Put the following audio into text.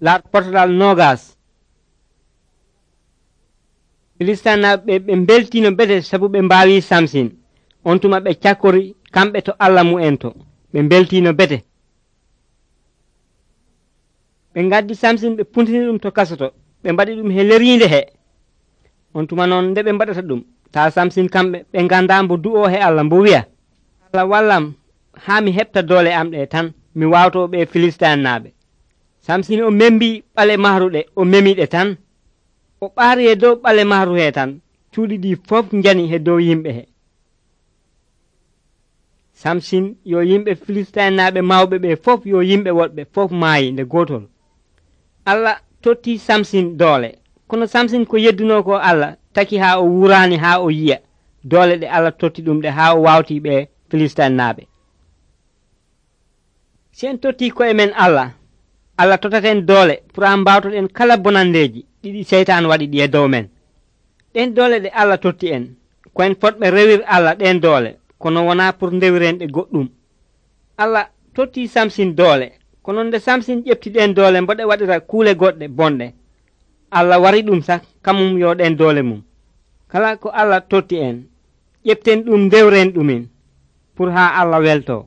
Portal nogas. Filistinaɓe ɓe beltino bete sabu ɓe mbawi Samsin. On tuma ɓe cakkori kamɓe to Allah mu'en to. Ɓe beltino bete. Ɓe gaddi Samsin ɓe puntini ɗum to kasoto. Ɓe mbaɗi ɗum he lerinde he. On tuma noon nde ɓe mbaɗata ɗum. Ta Samsin kamɓe ɓe ganda mbo du'o he Allah mbo wi'a. Allah wallam ha mi heɓta doole am ɗe tan mi wawto ɓe Filistinaɓe. Samsin o membi ɓale mahruɗe o memiɗe tan. O ɓaari e dow ɓale mahru he tan. Cuuɗi ɗi fof njani he dow yimɓe he. Samsin yo yimɓe Filistinaɓe mawɓe ɓe fof yo yimɓe woɗɓe fof maayi nde gotol. Allah totti Samsin doole. Kono Samsin ko yedduno ko Allah taki ha o wurani ha o yiya doole ɗe Allah totti ɗum ɗe ha o wawti ɓe Filistinaɓe. Si en totti koye men Allah tottaten doole pour an mbawtoɗen kala bonandeji ɗiɗi seytan waɗi ɗi e dow men. Ɗen doole ɗe Allah totti en koyen fotɓe rewir Allah ɗen doole kono wona pour ndewiren ɗe goɗɗum. Allah totti Samsin doole kono nde Samsin ƴefti ɗen doole mboɗe waɗira kuule goɗɗe bonɗe. Allah wari ɗum sak kamum yo ɗen doole mum. Kala ko Allah totti en ƴeften ɗum ndewren ɗumin pour ha Allah welto.